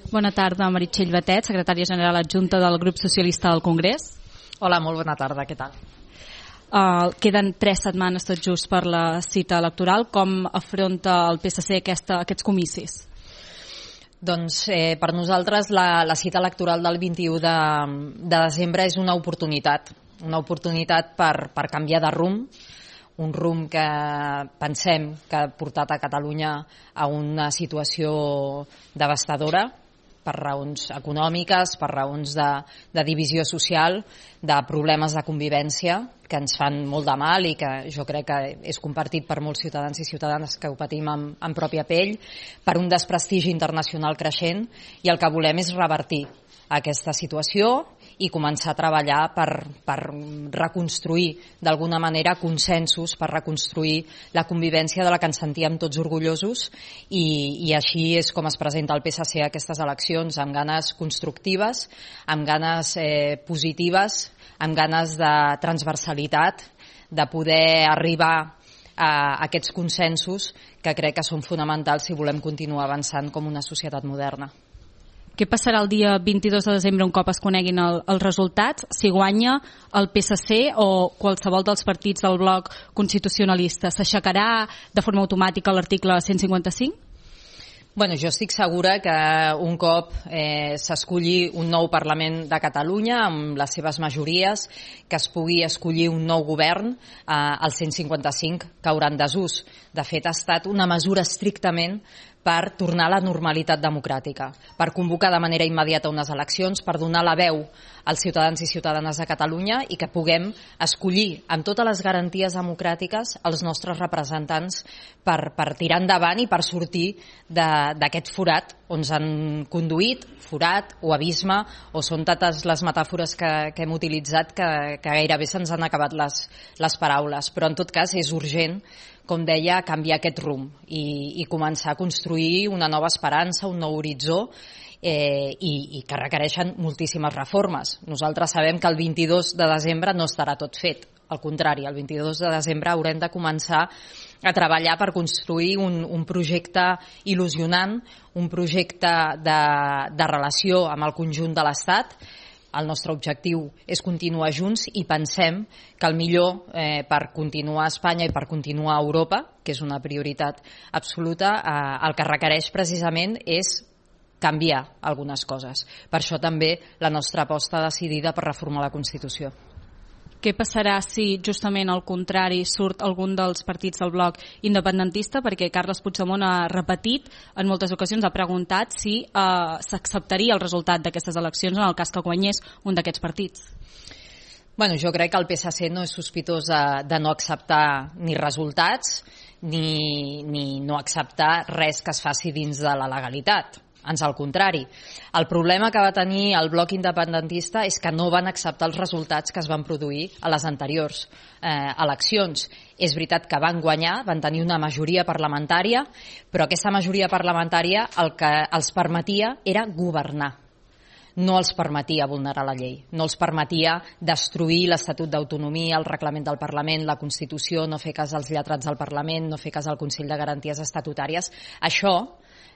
Bona tarda, Meritxell Batet, secretària general adjunta del grup socialista del Congrés. Hola, molt bona tarda, què tal? Queden 3 setmanes tot just per la cita electoral. Com afronta el PSC aquests comicis? Doncs per nosaltres la cita electoral del 21 de desembre és una oportunitat per canviar de rumb, un rumb que pensem que ha portat a Catalunya a una situació devastadora per raons econòmiques, per raons de divisió social, de problemes de convivència que ens fan molt de mal i que jo crec que és compartit per molts ciutadans i ciutadanes que ho patim en pròpia pell, per un desprestigi internacional creixent, i el que volem és revertir aquesta situació i començar a treballar per reconstruir d'alguna manera consensos, per reconstruir la convivència de la que ens sentíem tots orgullosos, i així és com es presenta el PSC a aquestes eleccions, amb ganes constructives, amb ganes positives, amb ganes de transversalitat, de poder arribar a aquests consensos que crec que són fonamentals si volem continuar avançant com una societat moderna. Què passarà el dia 22 de desembre un cop es coneguin els resultats? Si guanya el PSC o qualsevol dels partits del bloc constitucionalista, s'aixecarà de forma automàtica l'article 155? Bueno, jo estic segura que un cop s'escolli un nou Parlament de Catalunya amb les seves majories, que es pugui escollir un nou govern, el 155 caurà en desús. De fet, ha estat una mesura estrictament per tornar a la normalitat democràtica, per convocar de manera immediata unes eleccions, per donar la veu als ciutadans i ciutadanes de Catalunya i que puguem escollir amb totes les garanties democràtiques els nostres representants per tirar endavant i per sortir d'aquest forat on ens han conduït, forat o abisme, o són totes les metàfores que hem utilitzat que gairebé se'ns han acabat les paraules. Però en tot cas és urgent, com deia, canviar aquest rumb i començar a construir una nova esperança, un nou horitzó, i que requereixen moltíssimes reformes. Nosaltres sabem que el 22 de desembre no estarà tot fet. Al contrari, el 22 de desembre haurem de començar a treballar per construir un projecte il·lusionant, un projecte de relació amb el conjunt de l'Estat. El nostre objectiu és continuar junts i pensem que el millor per continuar a Espanya i per continuar a Europa, que és una prioritat absoluta, el que requereix precisament és canviar algunes coses. Per això també la nostra aposta decidida per reformar la Constitució. Què passarà si justament al contrari surt algun dels partits del bloc independentista? Perquè Carles Puigdemont ha repetit en moltes ocasions, ha preguntat si s'acceptaria el resultat d'aquestes eleccions en el cas que guanyés un d'aquests partits. Bueno, jo crec que el PSC no és sospitós de no acceptar ni resultats ni no acceptar res que es faci dins de la legalitat. Ans al contrari. El problema que va tenir el bloc independentista és que no van acceptar els resultats que es van produir a les anteriors eleccions. És veritat que van guanyar, van tenir una majoria parlamentària, però aquesta majoria parlamentària el que els permetia era governar. No els permetia vulnerar la llei, no els permetia destruir l'Estatut d'Autonomia, el reglament del Parlament, la Constitució, no fer cas als lletrats del Parlament, no fer cas al Consell de Garanties Estatutàries. Això,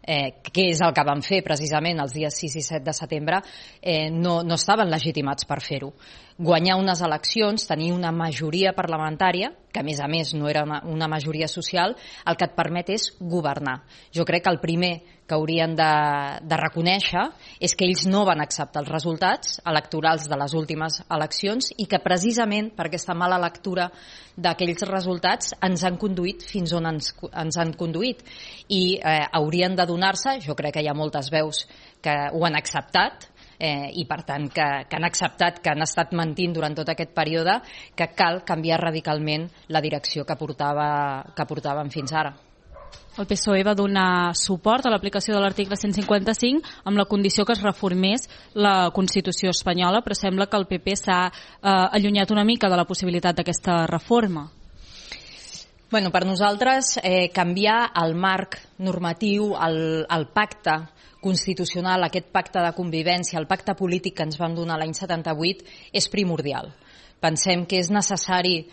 que és el que van fer precisament els dies 6 i 7 de setembre, no estaven legitimats per fer-ho. Guanyar unes eleccions, tenir una majoria parlamentària, que a més no era una majoria social, el que et permet és governar. Jo crec que el primer que haurien de reconèixer és que ells no van acceptar els resultats electorals de les últimes eleccions i que precisament per aquesta mala lectura d'aquells resultats ens han conduït fins on ens han conduït, i haurien de donar-se, jo crec que hi ha moltes veus que ho han acceptat, i per tant que han acceptat, que han estat mentint durant tot aquest període, que cal canviar radicalment la direcció que portaven fins ara. El PSOE va donar suport a l'aplicació de l'article 155 amb la condició que es reformés la Constitució espanyola, però sembla que el PP s'ha allunyat una mica de la possibilitat d'aquesta reforma. Bueno, per nosaltres canviar el marc normatiu, el pacte constitucional, aquest pacte de convivència, el pacte polític que ens van donar l'any 78 és primordial. Pensem que és necessari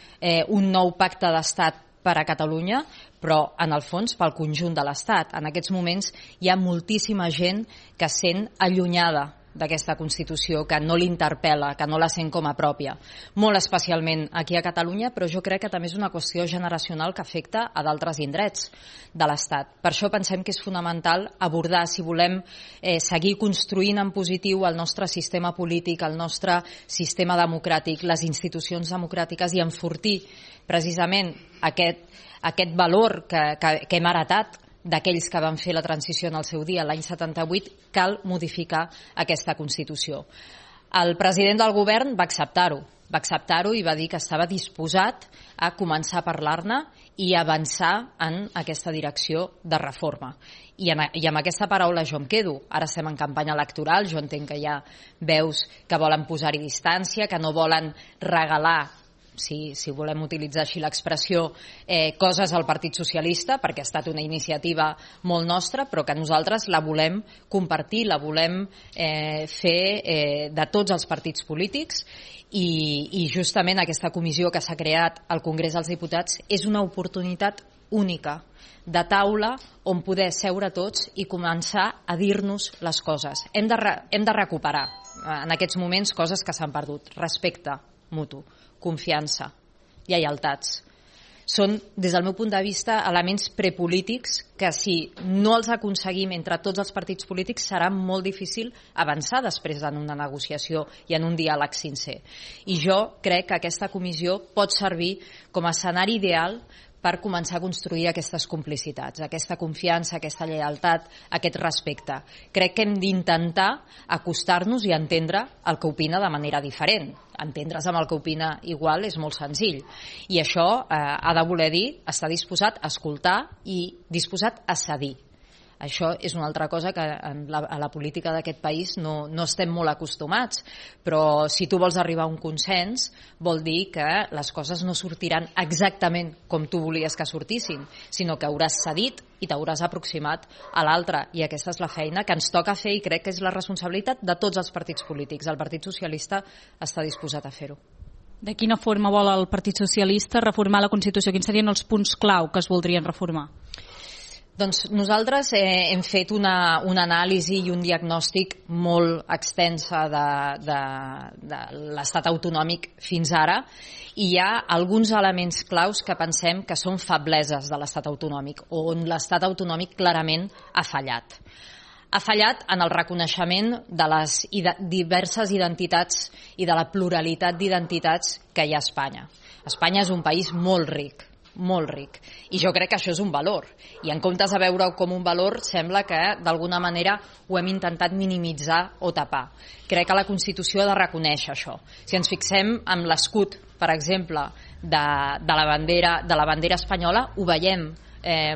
un nou pacte d'estat per a Catalunya, però en el fons pel conjunt de l'Estat. En aquests moments hi ha moltíssima gent que es sent allunyada d'aquesta Constitució, que no l'interpel·la, que no la sent com a pròpia. Molt especialment aquí a Catalunya, però jo crec que també és una qüestió generacional que afecta a d'altres indrets de l'Estat. Per això pensem que és fonamental abordar, si volem seguir construint en positiu el nostre sistema polític, el nostre sistema democràtic, les institucions democràtiques i enfortir precisament aquest valor que hem heretat d'aquells que van fer la transició en el seu dia, l'any 78, cal modificar aquesta Constitució. El president del govern va acceptar-ho i va dir que estava disposat a començar a parlar-ne i avançar en aquesta direcció de reforma. I amb aquesta paraula jo em quedo. Ara estem en campanya electoral, jo entenc que hi ha veus que volen posar-hi distància, que no volen regalar, si volem utilitzar així l'expressió, coses al Partit Socialista, perquè ha estat una iniciativa molt nostra, però que nosaltres la volem compartir, la volem fer de tots els partits polítics, i justament aquesta comissió que s'ha creat al Congrés dels Diputats és una oportunitat única de taula on poder seure tots i començar a dir-nos les coses. Hem de recuperar en aquests moments coses que s'han perdut: respecte mutu, confiança, lleialtats. Són, des del meu punt de vista, elements prepolítics que, si no els aconseguim entre tots els partits polítics, serà molt difícil avançar després en una negociació i en un diàleg sincer. I jo crec que aquesta comissió pot servir com a escenari ideal per començar a construir aquestes complicitats, aquesta confiança, aquesta lleialtat, aquest respecte. Crec que hem d'intentar acostar-nos i entendre el que opina de manera diferent. Entendre's amb el que opina igual és molt senzill. I això ha de voler dir estar disposat a escoltar i disposat a cedir. Això és una altra cosa que a la política d'aquest país no estem molt acostumats, però si tu vols arribar a un consens vol dir que les coses no sortiran exactament com tu volies que sortissin, sinó que hauràs cedit i t'hauràs aproximat a l'altre, i aquesta és la feina que ens toca fer i crec que és la responsabilitat de tots els partits polítics. El Partit Socialista està disposat a fer-ho. De quina forma vol el Partit Socialista reformar la Constitució? Quins serien els punts clau que es voldrien reformar? Doncs nosaltres hem fet una anàlisi i un diagnòstic molt extensa de l'estat autonòmic fins ara, i hi ha alguns elements claus que pensem que són febleses de l'estat autonòmic, on l'estat autonòmic clarament ha fallat. Ha fallat en el reconeixement de les diverses identitats i de la pluralitat d'identitats que hi ha a Espanya. Espanya és un país molt ric, i jo crec que això és un valor, i en comptes de veure-ho com un valor sembla que d'alguna manera ho hem intentat minimitzar o tapar. Crec que la Constitució ha de reconèixer això. Si ens fixem en l'escut, per exemple, de la bandera espanyola, ho veiem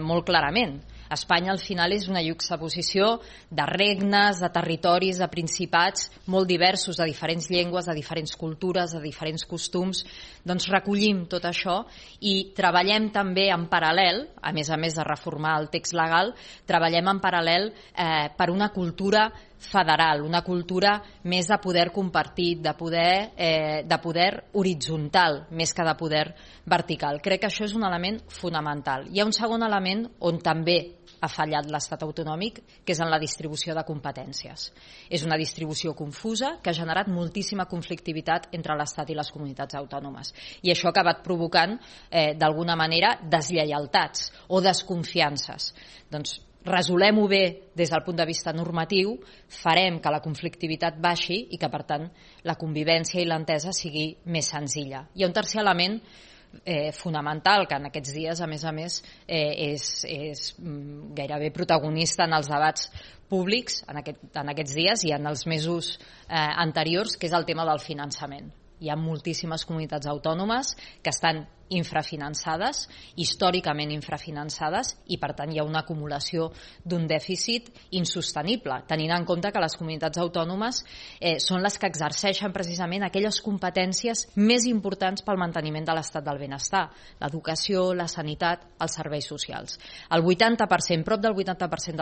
molt clarament. Espanya al final és una juxtaposició de regnes, de territoris, de principats molt diversos, de diferents llengües, de diferents cultures, de diferents costums. Doncs recollim tot això i treballem també en paral·lel, a més de reformar el text legal, treballem en paral·lel per una cultura federal, una cultura més de poder compartit, de poder horitzontal, més que de poder vertical. Crec que això és un element fonamental. Hi ha un segon element on també ha fallat l'estat autonòmic, que és en la distribució de competències. És una distribució confusa que ha generat moltíssima conflictivitat entre l'estat i les comunitats autònomes. I això ha acabat provocant, d'alguna manera, deslleialtats o desconfiances. Doncs resolem-ho bé des del punt de vista normatiu, farem que la conflictivitat baixi i que, per tant, la convivència i l'entesa sigui més senzilla. Hi ha un tercer element fonamental que en aquests dies, a més, és gairebé protagonista en els debats públics en aquests dies i en els mesos anteriors, que és el tema del finançament. Hi ha moltíssimes comunitats autònomes que estan infrafinançades, històricament infrafinançades, i per tant hi ha una acumulació d'un dèficit insostenible, tenint en compte que les comunitats autònomes són les que exerceixen precisament aquelles competències més importants pel manteniment de l'estat del benestar: l'educació, la sanitat, els serveis socials. El 80%, prop del 80%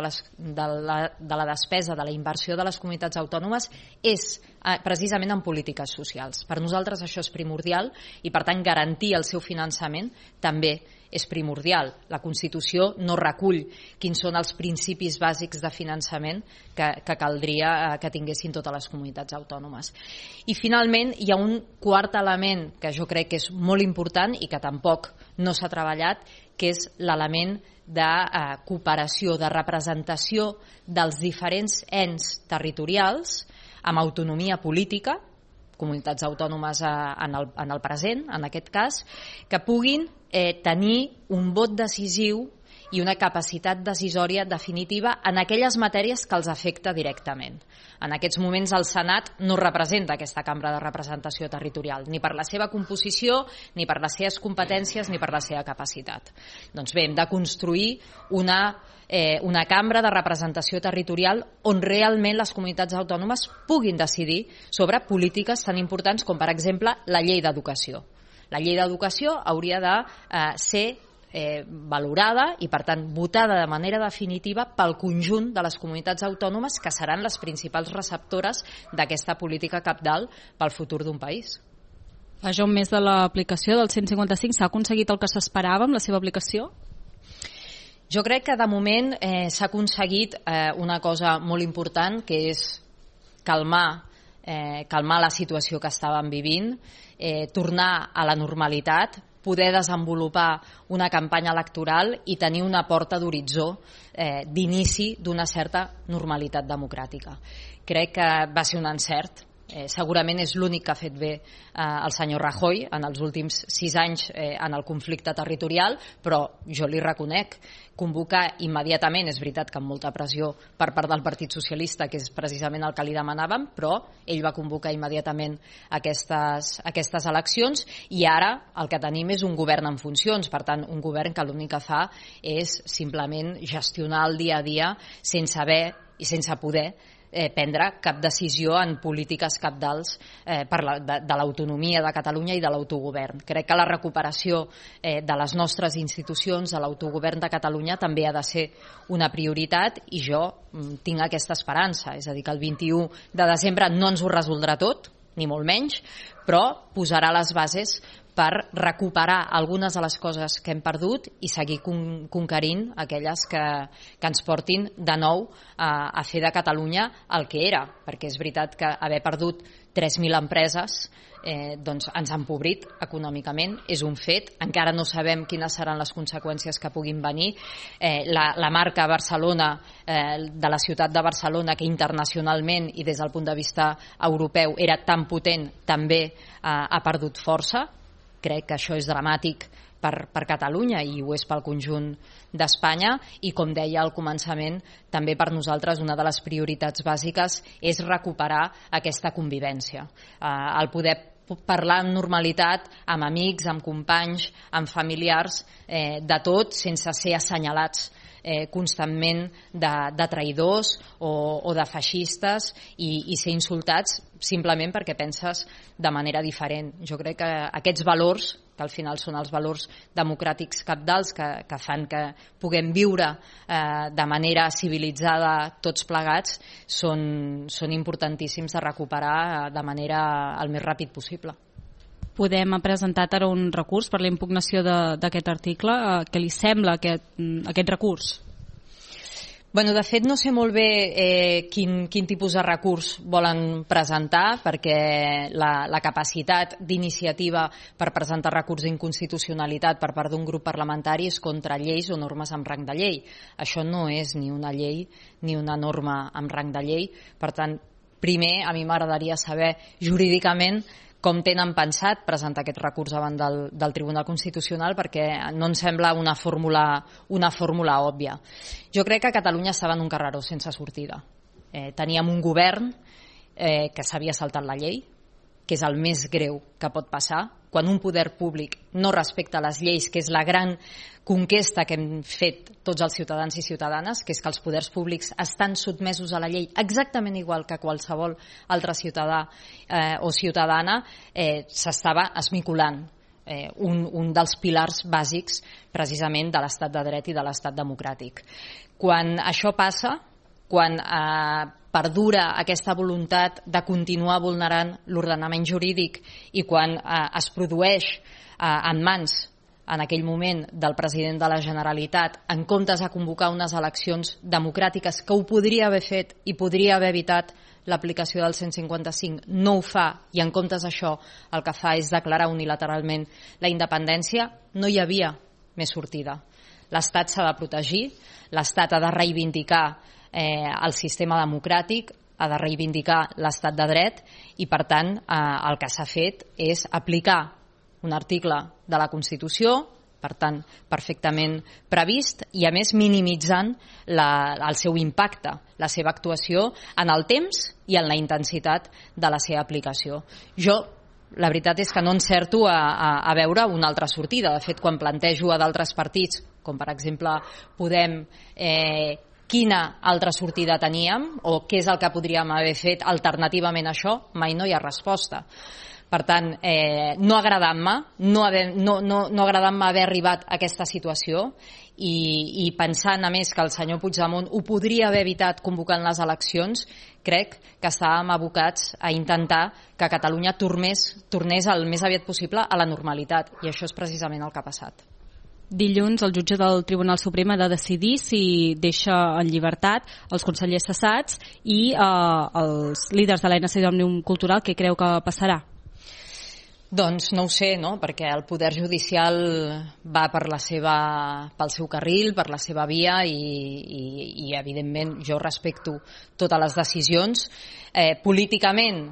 de la despesa, de la inversió de les comunitats autònomes és precisament en polítiques socials. Per nosaltres això és primordial i, per tant, garantir el seu finançament també és primordial. La Constitució no recull quins són els principis bàsics de finançament que caldria que tinguessin totes les comunitats autònomes. I finalment hi ha un quart element que jo crec que és molt important i que tampoc no s'ha treballat, que és l'element de cooperació, de representació dels diferents ens territorials amb autonomia política, comunitats autònomes en el present, en aquest cas, que puguin tenir un vot decisiu i una capacitat decisòria definitiva en aquelles matèries que els afecta directament. En aquests moments el Senat no representa aquesta cambra de representació territorial, ni per la seva composició, ni per les seves competències, ni per la seva capacitat. Doncs bé, hem de construir una cambra de representació territorial on realment les comunitats autònomes puguin decidir sobre polítiques tan importants com, per exemple, la llei d'educació. La llei d'educació hauria de ser valorada i, per tant, votada de manera definitiva pel conjunt de les comunitats autònomes que seran les principals receptores d'aquesta política cabdal pel futur d'un país. Fa ja un mes de l'aplicació del 155, s'ha aconseguit el que s'esperava amb la seva aplicació? Jo crec que de moment s'ha aconseguit una cosa molt important, que és calmar la situació que estàvem vivint, tornar a la normalitat, poder desenvolupar una campanya electoral i tenir una porta d'horitzó d'inici d'una certa normalitat democràtica. Crec que va ser un encert. Segurament és l'únic que ha fet bé el senyor Rajoy en els últims 6 anys en el conflicte territorial, però jo li reconec, convocar immediatament, és veritat que amb molta pressió per part del Partit Socialista, que és precisament el que li demanàvem, però ell va convocar immediatament aquestes eleccions i ara el que tenim és un govern en funcions, per tant un govern que l'únic que fa és simplement gestionar el dia a dia sense haver i sense poder prendre cap decisió en polítiques cabdals de l'autonomia de Catalunya i de l'autogovern. Crec que la recuperació de les nostres institucions, de l'autogovern de Catalunya, també ha de ser una prioritat i jo tinc aquesta esperança. És a dir, que el 21 de desembre no ens ho resoldrà tot, ni molt menys, però posarà les bases per recuperar algunes de les coses que hem perdut i seguir conquerint aquelles que ens portin de nou a fer de Catalunya el que era, perquè és veritat que haver perdut 3.000 empreses doncs ens ha empobrit econòmicament, és un fet, encara no sabem quines seran les conseqüències que puguin venir. La marca Barcelona, de la ciutat de Barcelona, que internacionalment i des del punt de vista europeu era tan potent, també ha perdut força. Crec que això és dramàtic per Catalunya i ho és pel conjunt d'Espanya i, com deia al començament, també per nosaltres una de les prioritats bàsiques és recuperar aquesta convivència. El poder parlar amb normalitat amb amics, amb companys, amb familiars, de tot, sense ser assenyalats constantment de traïdors o de feixistes i ser insultats simplement perquè penses de manera diferent. Jo crec que aquests valors, que al final són els valors democràtics cabdals que fan que puguem viure de manera civilitzada tots plegats, són importantíssims de recuperar de manera el més ràpid possible. Podem presentar ara un recurs per la impugnació d'aquest article. Què li sembla aquest recurs? Bueno, de fet, no sé molt bé quin tipus de recurs volen presentar, perquè la capacitat d'iniciativa per presentar recurs d'inconstitucionalitat per part d'un grup parlamentari és contra lleis o normes amb rang de llei. Això no és ni una llei ni una norma amb rang de llei. Per tant, primer, a mi m'agradaria saber jurídicament com tenen pensat presentar aquest recurs davant del Tribunal Constitucional, perquè no em sembla una fórmula òbvia. Jo crec que Catalunya estava en un carreró sense sortida. Teníem un govern que s'havia saltat la llei, que és el més greu que pot passar, quan un poder públic no respecta les lleis, que és la gran conquesta que hem fet tots els ciutadans i ciutadanes, que és que els poders públics estan sotmesos a la llei exactament igual que qualsevol altre ciutadà o ciutadana, s'estava esmicolant un dels pilars bàsics precisament de l'estat de dret i de l'estat democràtic. Quan això passa, quan perdura aquesta voluntat de continuar vulnerant l'ordenament jurídic i quan es produeix en mans en aquell moment del president de la Generalitat, en comptes de convocar unes eleccions democràtiques, que ho podria haver fet i podria haver evitat l'aplicació del 155, no ho fa, i en comptes d'això el que fa és declarar unilateralment la independència, no hi havia més sortida. L'Estat s'ha de protegir, l'Estat ha de reivindicar el sistema democràtic, ha de reivindicar l'estat de dret i, per tant, el que s'ha fet és aplicar un article de la Constitució, per tant, perfectament previst, i a més minimitzant el seu impacte, la seva actuació en el temps i en la intensitat de la seva aplicació. Jo, la veritat és que no encerto a veure una altra sortida. De fet, quan plantejo a d'altres partits, com per exemple Podem, quina altra sortida teníem o què és el que podríem haver fet alternativament a això, mai no hi ha resposta. Per tant, no agradant-me, no agradant-me haver arribat a aquesta situació i pensant a més que el senyor Puigdemont ho podria haver evitat convocant les eleccions, crec que estàvem abocats a intentar que Catalunya tornés el més aviat possible a la normalitat, i això és precisament el que ha passat. Dilluns el jutge del Tribunal Suprem ha de decidir si deixa en llibertat els consellers cessats i els líders de l'ANC d'Òmnium Cultural. Què creu que passarà? Doncs no ho sé, no? Perquè el poder judicial va pel seu carril, per la seva via i evidentment jo respecto totes les decisions. Políticament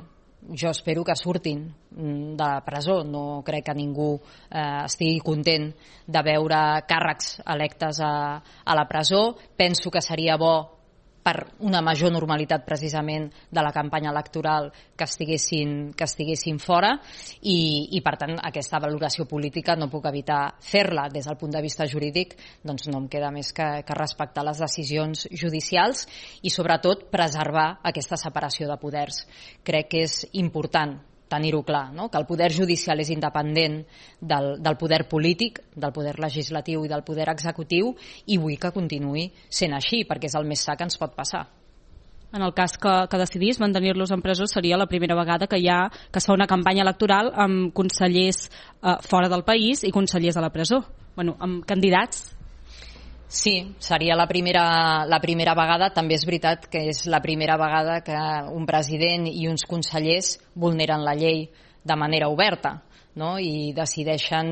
jo espero que surtin de la presó. No crec que ningú estigui content de veure càrrecs electes a la presó. Penso que seria bo per una major normalitat precisament de la campanya electoral que estiguessin fora i per tant aquesta valoració política no puc evitar fer-la. Des del punt de vista jurídic doncs no em queda més que respectar les decisions judicials i sobretot preservar aquesta separació de poders. Crec que és important tenir-ho clar, no? Que el poder judicial és independent del poder polític, del poder legislatiu i del poder executiu, i vull que continuï sent així, perquè és el més sa que ens pot passar. En el cas que decidís mantenir-los en presó, seria la primera vegada que es fa una campanya electoral amb consellers fora del país i consellers a la presó, amb candidats. Sí, seria la primera vegada. També és veritat que és la primera vegada que un president i uns consellers vulneren la llei de manera oberta, no? I decideixen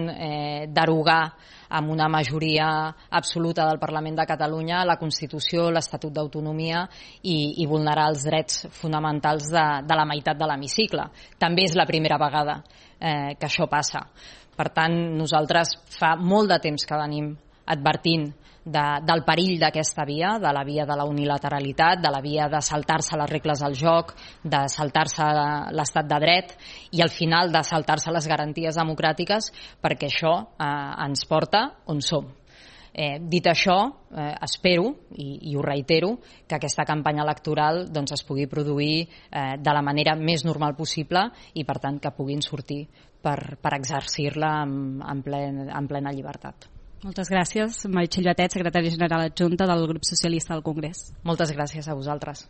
derogar amb una majoria absoluta del Parlament de Catalunya la Constitució, l'Estatut d'Autonomia i vulnerar els drets fonamentals de la meitat de l'hemicicle. També és la primera vegada que això passa. Per tant, nosaltres fa molt de temps que venim advertint del perill d'aquesta via, de la via de la unilateralitat, de la via de saltar-se les regles del joc, de saltar-se l'estat de dret i al final de saltar-se les garanties democràtiques, perquè això ens porta on som. Dit això, espero, i ho reitero, que aquesta campanya electoral es pugui produir de la manera més normal possible i, per tant, que puguin sortir per exercir-la en plena llibertat. Moltes gràcies, Meritxell Batet, secretària general adjunta del grup socialista al Congrés. Moltes gràcies a vosaltres.